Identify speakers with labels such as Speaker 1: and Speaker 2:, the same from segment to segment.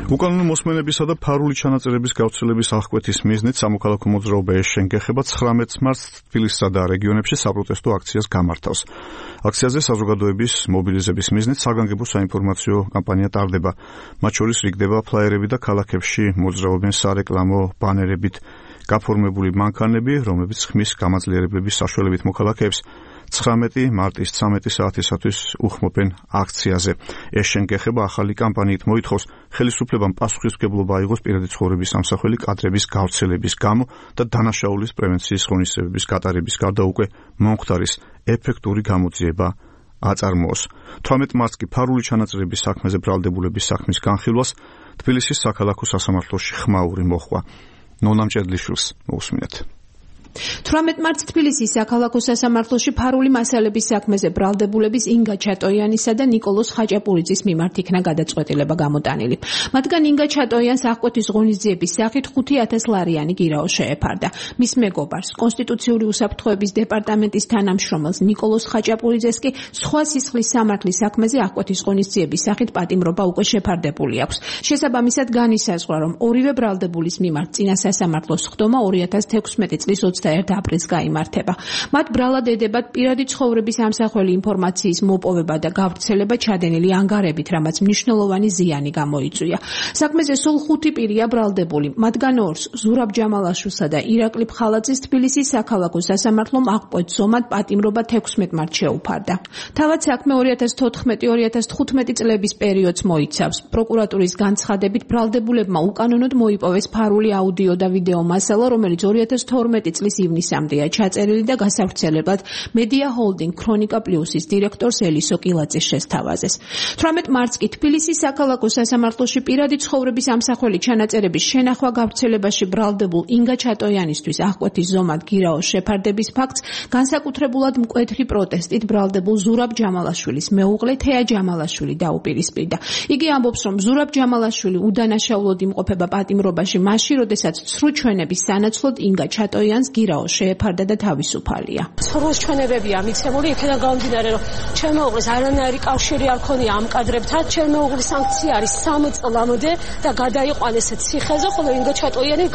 Speaker 1: უკანონო მოსმენებისა და ფარული ჩანაწერების გავრცელების აღკვეთის მიზნით სამოქალაქო მოძრაობა ეშენგეხება 19 მარტს თბილისსა და რეგიონებში საპროტესტო აქციას გამართავს. აქციაზე საზოგადოების მობილიზების მიზნით საგანგებო საინფორმაციო კამპანია ტარდება. მათ შორის რიგდება ფლაიერები და ქალაქებში მოძრაობენ სარეკლამო ბანერებით გაფორმებული მანქანები, რომლებიც ხმის გამაძლიერებლების საშუალებით მოქალაქეებს 19 მარტის 13 საათისათვის უხმობენ აქციაზე. ეშენგეხება ახალი კამპანიით მოითხოვს ხელისუფლებამ პასუხისმგებლობა აიღოს პირადი ცხოვრების სამსახველი კადრების გავრცელების გამო და დანაშაულის პრევენციის ღონისძიებების გატარების გარდა უკვე მომხდარის ეფექტური გამოძიება აწარმოოს. 18 მარტს კი ფარული ჩანაწერების საქმეზე ბრალდებულების საქმის განხილვას თბილისის საქალაქო სასამართლოში ხმაური მოხდა. ნონა მჭედლიშვილს მოусმინეთ.
Speaker 2: 18 მარტს თბილისის საქალაქო სასამართლოში ფარული მასალების საქმეზე ბრალდებულების ინგა ჩატოიანისა და ნიკოლოზ ხაჭაპურიძის მიმართ იქნა გადაწყვეტილება გამოტანილი. მათგან ინგა ჩატოიანს აღკვეთის ღონისძიების სახით 5,000 ლარიანი გირაო შეეფარდა. მის მეგობარს, კონსტიტუციური უსაფრთხოების დეპარტამენტის თანამშრომელს ნიკოლოზ ხაჭაპურიძეს კი სხვა სისხლის სამართლის საქმეზე აღკვეთის ღონისძიების სახით პატიმრობა უკვე შეფარდებული აქვს. შესაბამისად განისაზღვრა, რომ ორივე ბრალდებულის მიმართ წინა სასამართლოს ხდომა 2016 წლის 21 აპრილს გაიმართება. მათ ბრალად ედებათ პირადი ცხოვრების ამსახველი ინფორმაციის მოპოვება და გავრცელება ჩადენილი ანგარებით, რამაც მნიშვნელოვანი ზიანი გამოიწვია. საქმეზე სულ 5 პირია ბრალდებული. მათგან 2-ს, ზურაბ ჯამალაშვილსა და ირაკლი ფხალაძის თბილისის საქალაქო სასამართლომ აღკვეთ ზომად პატიმრობა 16 მარტს შეუფარდა. თავად საქმე 2014-2015 წლების პერიოდს მოიცავს. პროკურატურის განცხადებით ბრალდებულებმა უკანონოდ მოიპოვეს ფარული აუდიო და ვიდეო მასალა, რომელიც 2012 წლის ივნისამდეა ჩაწერილი და გასავრცელებლად მედია ჰოლდინგ ქრონიკა პლუსის დირექტორს ელისო კილაძის შესთავაზეს. 18 მარტს კი თბილისის საქალაქო სასამართლოში პირადი ცხოვრების ამსახველი ჩანაწერების შენახვა გავრცელებაში ბრალდებულ ინგა ჩატოიანისთვის აღკვეთის ზომად გირაოს შეფარდების ფაქტს განსაკუთრებულად მკვეთრი პროტესტით ბრალდებულ ზურაბ ჯამალაშვილის მეუღლე თეა ჯამალაშვილი დაუპირისპირდა. იგი ამბობს, რომ ზურაბ ჯამალაშვილი უდანაშაულოდ იმყოფება პატიმრობაში მაშინ, როდესაც ცრუ ჩვენების სანაცვლოდ ინგა ჩატოიანს გირაო შეეფარდა და თავისუფალია.
Speaker 3: ცრუს ჩვენებებია მიცემული, იქიდან გამომდინარე, რომ ჩემ მეუღლეს არანაირი კავშირი არ ქონია ამ კადრებთან. ჩემ მეუღლის სანქცია არის 3 წლამდე და გადაიყვანეს ციხეზე, ხოლო ინგა ჩატოიანი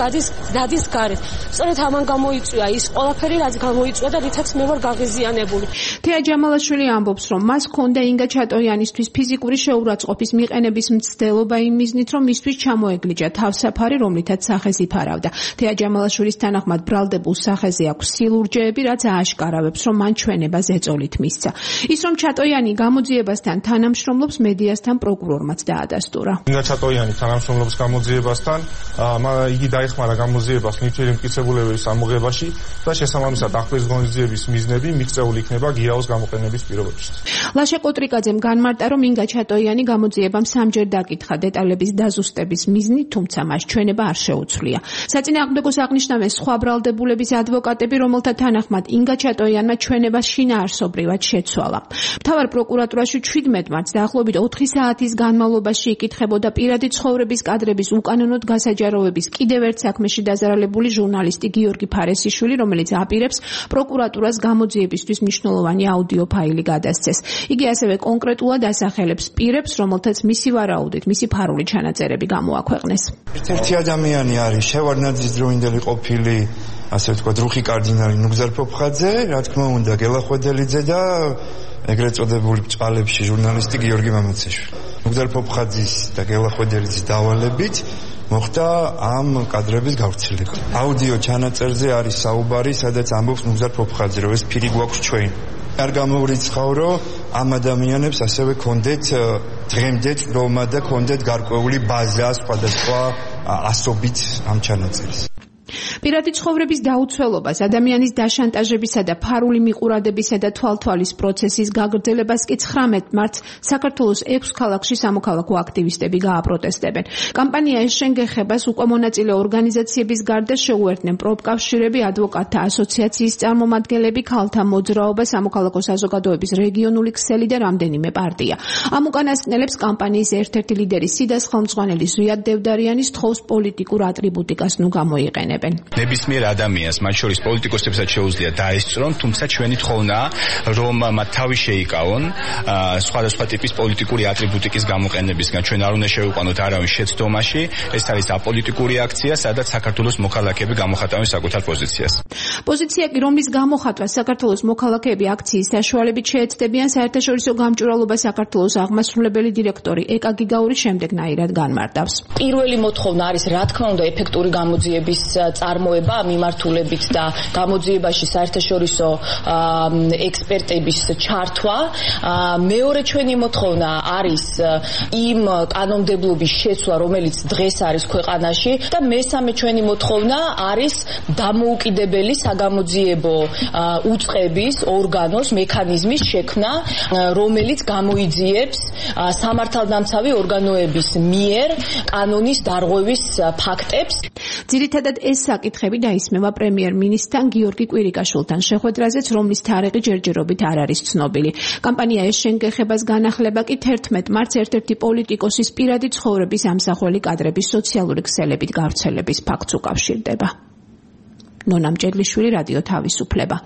Speaker 3: დადის გარეთ. სწორედ ამან გამოიწვია ის ყველაფერი, რაც გამოიწვია და რითაც მე ვარ გაღიზიანებული.
Speaker 2: თეა ჯამალაშვილი ამბობს, რომ მას ჰქონდა ინგა ჩატოიანისთვის ფიზიკური შეურაცხყოფის მიყენების მცდელობა იმ მიზნით, რომ მისთვის ჩამოეგლიჯა თავსაფარი, რომლითაც სახეს იფარავდა. თეა ჯამალაშვილის თანახმად ბრალდებულ სახეზე აქვს სილურჯეები, რაც ააშკარავებს, რომ მან ჩვენება ზეწოლით მისცა. ის რომ ჩატოიანი გამოძიებასთან თანამშრომლობს, მედიასთან პროკურორმაც დაადასტურა.
Speaker 4: ინგა ჩატოიანი თანამშრომლობს გამოძიებასთან, იგი დაეხმარა გამოძიებას ნივთიერი მტკიცებულებების ამოღებაში და შესაბამისად აღკვეთის ღონისძიების მიზნები მიღწეული იქნება გირაოს გამოყენების პირობებში.
Speaker 2: ლაშა კოტრიკაძემ განმარტა, რომ ინგა ჩატოიანი გამოძიებამ 3-ჯერ დაკითხა დეტალების დაზუსტების მიზნით, თუმცა მას ჩვენება არ შეუცვლია. საწინააღმდეგოს აღნიშნავენ სხვა ბრალდებულების ადვოკატები, რომელთა თანახმად ინგა ჩატოიანმა ჩვენება შინაარსობრივად შეცვალა. მთავარ პროკურატურაში 17 მარტს დაახლოებით 4 საათის განმავლობაში იკითხებოდა პირადი ცხოვრების კადრების უკანონოდ გასაჯაროების კიდევ ერთ საქმეში დაზარალებული ჟურნალისტი გიორგი ფარესიშვილი, რომელიც აპირებს პროკურატურას გამოძიებისთვის მნიშვნელოვანი აუდიო ფაილი გადასცეს. იგი ასევე კონკრეტულად ასახელებს პირებს, რომელთაც მისი ვარაუდით მისი ფარული ჩანაწერები გამოაქვეყნეს.
Speaker 5: ერთ-ერთი ადამიანი არის შევარდნაძის დროინდელი ყოფილი, ასე ვთქვათ, რუხი კარდინალი ნუგზარ ფოფხაძე, რა თქმა უნდა, გელა ხვედელიძე და ეგრეთ წოდებული ბჭყალებში ჟურნალისტი გიორგი მამაცაშვილი. ნუგზარ ფოფხაძის და გელა ხვედელიძის დავალებით მოხდა ამ კადრების გავრცელება. აუდიო ჩანაწერზე არის საუბარი, სადაც ამბობს ნუგზარ ფოფხაძე, რომ ეს ფირი გვაქვს ჩვენ. არ გამოვრიცხავ, რომ ამ ადამიანებს ასევე კონდეთ დღემდე წვრილმა და კონდეთ გარკვეული ბაზა სხვადასხვა ასობით ამ ჩანაწერის.
Speaker 2: პირადი ცხოვრების დაუცველობას, ადამიანის დაშანტაჟებისა და ფარული მიყურადებისა და თვალთვალის პროცესის გაგრძელებას კი 19 მარტს საქართველოს 6 ქალაქში სამოქალაქო აქტივისტები გააპროტესტებენ. კამპანია ეშენგეხებას უკვე მონაწილე ორგანიზაციების გარდა შეუერთდნენ პროფკავშირები, ადვოკატთა ასოციაციის წარმომადგენლები, ქალთა მოძრაობა, სამოქალაქო საზოგადოების რეგიონული ქსელი და რამდენიმე პარტია. ამ უკანასკნელებს კამპანიის ერთ-ერთი ლიდერი სიდას ხელმძღვანელი ზვიად დევდარიანი სთხოვს პოლიტიკურ ატრიბუტიკას ნუ გამოიყენებენ.
Speaker 6: ნებისმიერ ადამიანს, მათ შორის პოლიტიკოსებსაც შეუძლია დაესწრონ, თუმცა ჩვენი თხოვნაა, რომ მათ თავი შეიკავონ სხვადასხვა ტიპის პოლიტიკური ატრიბუტიკის გამოყენებისგან. ჩვენ არ უნდა შევიყვანოთ არავინ შეცდომაში, ეს არის აპოლიტიკური აქცია, სადაც საქართველოს მოქალაქეები გამოხატავენ საკუთარ პოზიციას.
Speaker 2: პოზიცია კი, რომლის გამოხატვა საქართველოს მოქალაქეები აქციის საშუალებით შეეცდებიან, საერთაშორისო გამჭვირვალობა საქართველოს აღმასრულებელი დირექტორი ეკა გიგაური შემდეგნაირად განმარტავს.
Speaker 7: პირველი მოთხოვნა არის, რა თქმა უნდა, ეფექტური გამოძიების წარმოება მიმართულებით და გამოძიებაში საერთაშორისო ექსპერტების ჩართვა. მეორე ჩვენი მოთხოვნა არის იმ კანონმდებლობის შეცვლა, რომელიც დღეს არის ქვეყანაში და მესამე ჩვენი მოთხოვნა არის დამოუკიდებელი საგამოძიებო უწყების, ორგანოს, მექანიზმის შექმნა, რომელიც გამოიძიებს სამართალდამცავი ორგანოების მიერ კანონის დარღვევის ფაქტებს.
Speaker 2: ძირითადად ეს საკითხები დაისმევა პრემიერ-მინისტრთან გიორგი კვირიკაშვილთან შეხვედრაზეც, რომლის თარიღი ჯერჯერობით არ არის ცნობილი. კამპანია ეს შენგეხებას განახლება კი 11 მარტს ერთ-ერთი პოლიტიკოსის პირადი ცხოვრების ამსახველი კადრების სოციალური ქსელებით გავრცელების ფაქტს უკავშირდება. ნონა მჭედლიშვილი, რადიო თავისუფლება.